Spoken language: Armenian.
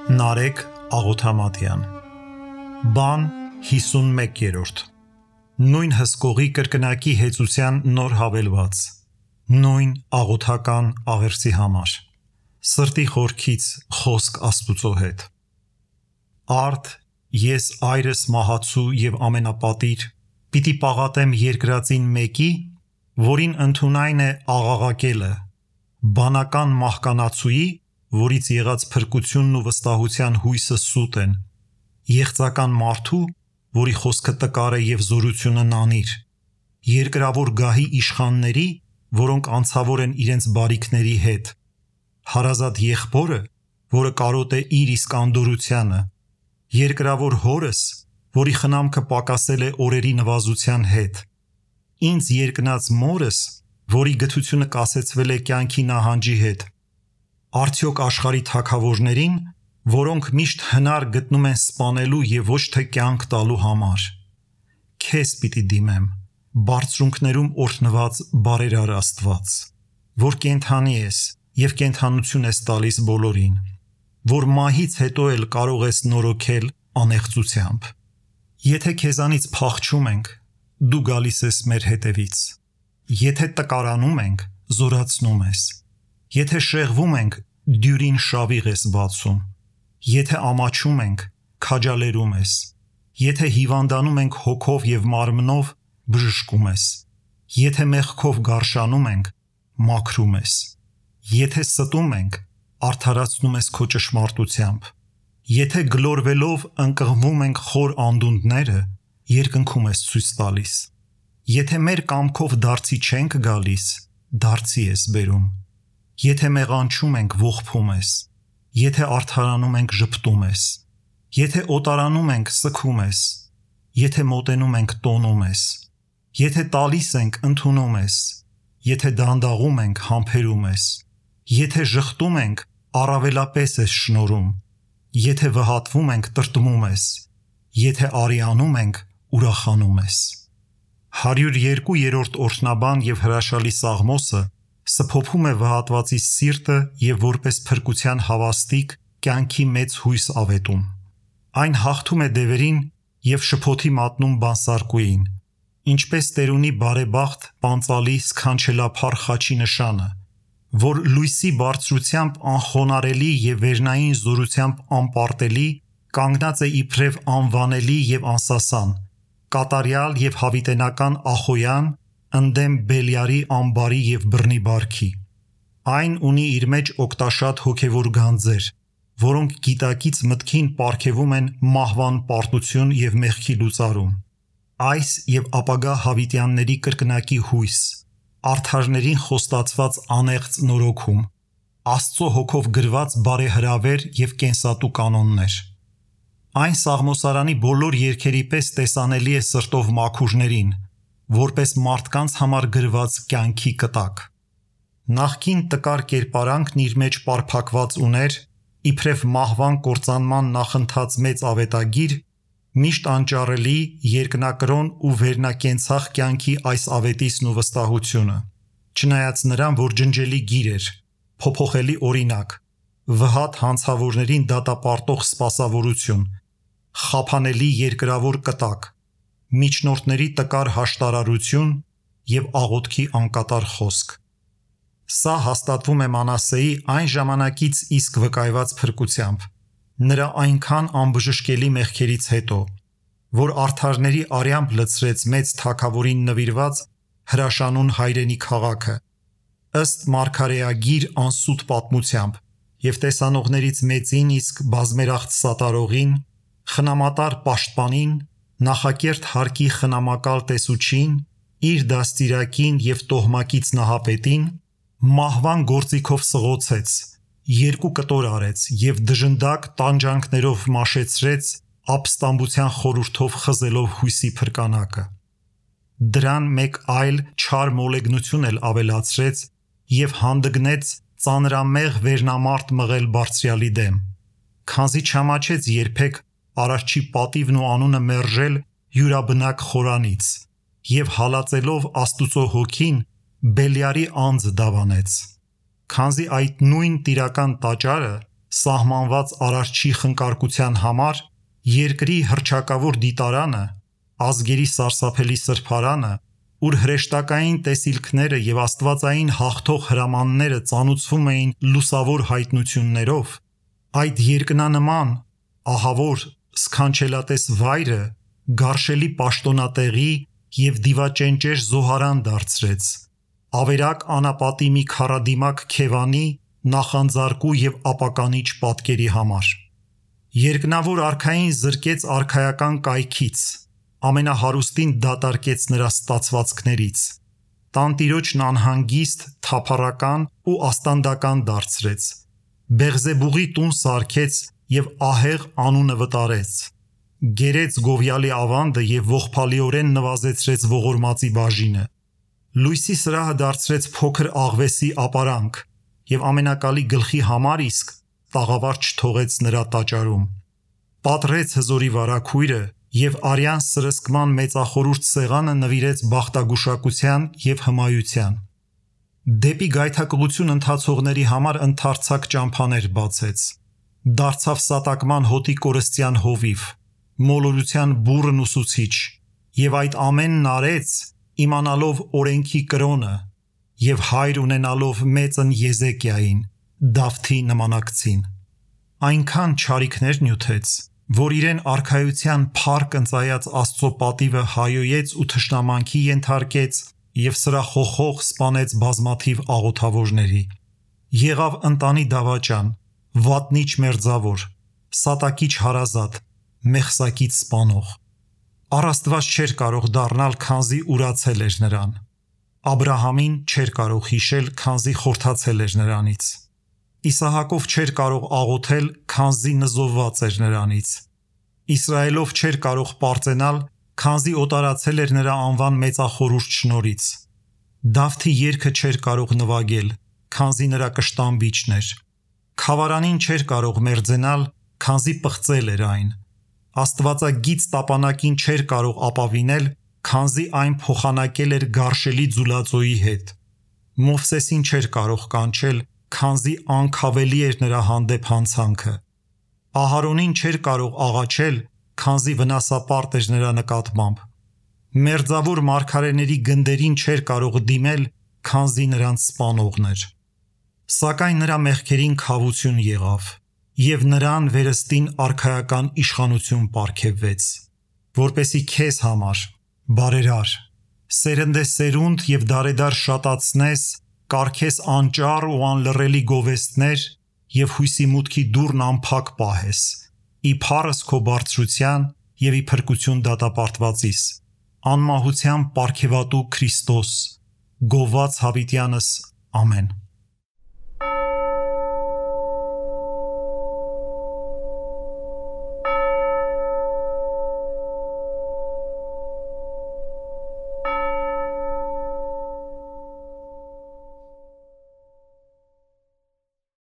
Նարեկ Աղոթամատյան Բան 51-րդ Նույն հսկողի կրկնակի հեծության նոր հավելված Նույն աղոթական աղերսի համար Սրտի խորքից խոսք Աստուծո հետ Արդ ես այրս մահացու և ամենապատիր պիտի պաղատեմ երկրածին մեկի, որին ընդունայն է աղաղակելը, բանական մահկանացուի, որից եղած փրկությունն ու վստահության հույսը սուտ են, եղծական մարդու, որի խոսքը տկար է և զորությունը նանիր, երկրավոր գահի իշխանների, որոնք անցավոր են իրենց բարիքների հետ, հարազատ եղբորը, որը կարոտ է իր իսկ անդորությանը, երկրավոր հորս, որի խնամքը պակասել է օրերի նվազության հետ, ինձ երկնած մորս, որի գթությունը կասեցվել է կյանքի նահանջի հետ, արդյոք աշխարհի թագավորներին, որոնք միշտ հնար գտնում են սպանելու և ոչ թե կյանք տալու համար, քեզ պիտի դիմեմ, բարձրունքներում օրհնված բարերար Աստված, որ կենդանի ես և կենդանություն ես տալիս բոլորին, որ մահից հետո էլ կարող ես նորոգել անեղծությամբ, եթե քեզանից փախչում ենք, դու գալիս ես մեր հետևից, եթե տկարանում ենք, զորացնում ես, եթե շեղվում ենք, դյուրին շավիղ ես բացում, եթե ամաչում ենք, քաջալերում ես, եթե հիվանդանում ենք հոգով և մարմնով, բժշկում ես, եթե մեղքով գարշանում ենք, մաքրում ես, եթե ստում ենք, արդարացնում ես քո ճշմարտությամբ, եթե գլորվելով ընկղմվում ենք խոր անդունդները, երկնքում ես ցույց տալիս, եթե մեր կամքով դարձի չենք գալիս, դարձի ես բերում, եթե մեղանչում ենք, ողբում ես, եթե արդարանում ենք, ժպտում ես, եթե օտարանում ենք, սգում ես, եթե մոտենում ենք, տոնում ես, եթե տալիս ենք, ընդունում ես, եթե դանդաղում ենք, համբերում ես, եթե ժխտում ենք, առավելապես ես շնորհում, եթե վհատվում ենք, տրտմում ես, եթե արիանում ենք, ուրախանում ես։ 102-րդ օրհնաբան և հրաշալի Սաղմոսը սփոփում է վհատվածի սիրտը և որպես փրկության հավաստիք կյանքի մեծ հույս ավետում։ Այն հաղթում է դևերին և շփոթի մատնում բանսարկուին, ինչպես տերունի բարեբախտ պանծալի սքանչելափառ խաչի նշանը, որ լույսի բարձրությամբ անխոնարելի և վերնային զորությամբ անպարտելի կանգնած է իբրև անվանելի և անսասան, կատարյալ և հավիտենական Ախոյան, ընդդեմ Բելիարի ամբարի և բռնի բարքի։ Այն ունի իր մեջ օգտաշատ հոգևոր գանձեր, որոնք գիտակից մտքին պարգևում են մահվան պարտություն և մեղքի լուծարում, այս և ապագա հավիտյանների կրկնակի հույս, արդարներին խոստացված անեղծ նորոգում, Աստծո հոգով գրված բարեհրավեր և կենսատու կանոններ։ Այն Սաղմոսարանի բոլոր երգերի պես տեսանելի է սրտով մաքուրներին, որպես մարդկանց համար գրված կյանքի կտակ։ Նախկին տկար կերպարանքն իր մեջ պարփակված ուներ, իբրև մահվան կործանման նախընթաց մեծ ավետագիր, միշտ անճարելի, երկնակրոն ու վերնակենցաղ կյանքի այս ավետիսն ու վստահությունը, չնայած նրան, որ ջնջելի գիր էր, փոփոխելի օրինակ, վհատ հանցավորներին դատապարտող սպասավորություն, խափանելի երկրավոր կտակ, միջնորդների տկար հաշտարարություն և աղոթքի անկատար խոսք։ Սա հաստատվում է Մանասեի այն ժամանակից իսկ վկայված փրկությամբ, նրա այնքան անբժշկելի մեղքերից հետո, որ արդարների արյամբ լցրեց մեծ թագավորին նվիրված հրաշանուն հայրենի քաղաքը, ըստ մարգարեագիր անսուտ պատմությամբ և տեսանողներից մեծին իսկ բազմերախտ սատարողին, խնամատար պաշտպանին, նախակերտ հարկի խնամակալ տեսուչին, իր դաստիարակին և տոհմակից նահապետին, մահվան գործիքով սղոցեց, երկու կտոր արեց և դժնդակ տանջանքներով մաշեցրեց ապստամբության խորհրդով խզելով հույսի փրկանակը։ Դրան մեկ այլ չար մոլեգնություն էլ ավելացրեց և հանդգնեց ծանրամեղ վերնամարտ մղել Բարձրյալի դեմ, քանզի չամաչեց երբեք Արարչի պատիվն ու անունը մերժել յուրաբնակ խորանից և հալածելով Աստուծո հոգին Բելիարի անձ դավանեց, քանզի այդ նույն տիրական տաճարը սահմանված արարչի խնկարկության համար, երկրի հռչակավոր դիտարանը, ազգերի սարսափելի սրբարանը, ուր հրեշտակային տեսիլքները եւ աստվածային հաղթող հրամանները ծանուցվում էին լուսավոր հայտնություններով, այդ երկնանման, ահավոր, սքանչելատես վայրը գարշելի պաշտոնատեղի եւ դիվաճենճեր զոհարան դարձրեց, ավերակ անապատի մի քարադիմակ քևանի, նախանձարկու եւ ապականիչ պատկերի համար։ Երկնավոր արքային զրկեց արքայական կայքից, ամենահարուստին դատարկեց նրա ստացվածքներից, տանտիրոջն անհանգիստ, թափառական ու աստանդական դարձրեց, Բեղզեբուղի տուն սարքեց եւ ահեղ անունը վտարեց, գերեց գովյալի ավանդը եւ ողբալիորեն նվազեցրեց ողորմածի բաժինը, լույսի սրահը դարձրեց փոքր աղվեսի ապարանք եւ ամենակալի գլխի համար իսկ տաղավար չթողեց նրա տաճարում, պատռեց հզորի վարագույրը եւ արյան սրսկման մեծախորուրդ սեղանը նվիրեց բախտագուշակության եւ հմայության, դեպի գայթակղություն ընթացողների համար ընդարձակ ճամփաներ բացեց, դարձավ սատակման հոտի կորստյան հովիվ, մոլորության բուռն ուսուցիչ եւ այդ ամենն արեց իմանալով օրենքի կրոնը եւ հայր ունենալով մեծն Եզեկիային, Դավթի նմանակցին, այնքան չարիքներ նյութեց, որ իրեն արքայության փառք ընծայած Աստծո պատիվը հայոյեց ու թշնամանքի ենթարկեց եւ սրախոխող սպանեց բազմաթիվ աղոթավորների, եղավ ընտանի դավաճան, վատնիչ մերձավոր, սատակիչ հարազատ, մեղսակից սպանող, առաստված չէր կարող դառնալ, քանզի ուրացել էր նրան, Աբրահամին չէր կարող հիշել, քանզի խորթացել էր նրանից, Իսահակով չէր կարող աղոթել, քանզի նզովված էր նրանից, Իսրայելով չէր կարող պարծենալ, քանզի օտարացել էր նրա անվան մեծախորուրդ շնորհից, Դավթի երգը չէր կարող նվագել, քանզի նրա կշտամբիչն էր, Խավարանին չէր կարող մերձենալ, քանզի պղծել էր այն, Աստվածագից տապանակին չէր կարող ապավինել, քանզի այն փոխանակել էր գարշելի ձուլածոյի հետ, Մովսեսին չէր կարող կանչել, քանզի անքավելի էր նրա հանդեպ հանցանքը, Ահարոնին չէր կարող աղաչել, քանզի վնասապարտ էր նրա նկատմամբ, Մերձավոր մարգարեների գնդերին չէր կարող դիմել, քանզի նրանց սպանողն էր, Սակայն նրա մեղքերին քավություն եղավ, եւ նրան վերստին արքայական իշխանություն պարգևվեց, որպեսի քեզ համար, բարերար, սերնդեսերունդ եւ դարեդար շատացնես, կարգես անճառ ու անլռելի գովեստներ եւ հույսի մուտքի դուռն անփակ պահես, ի փառս քո բարձրության եւ ի փրկություն դատապարտվածիս, անմահության պարգևատու Քրիստոս, գովված հավիտյանս, ամեն։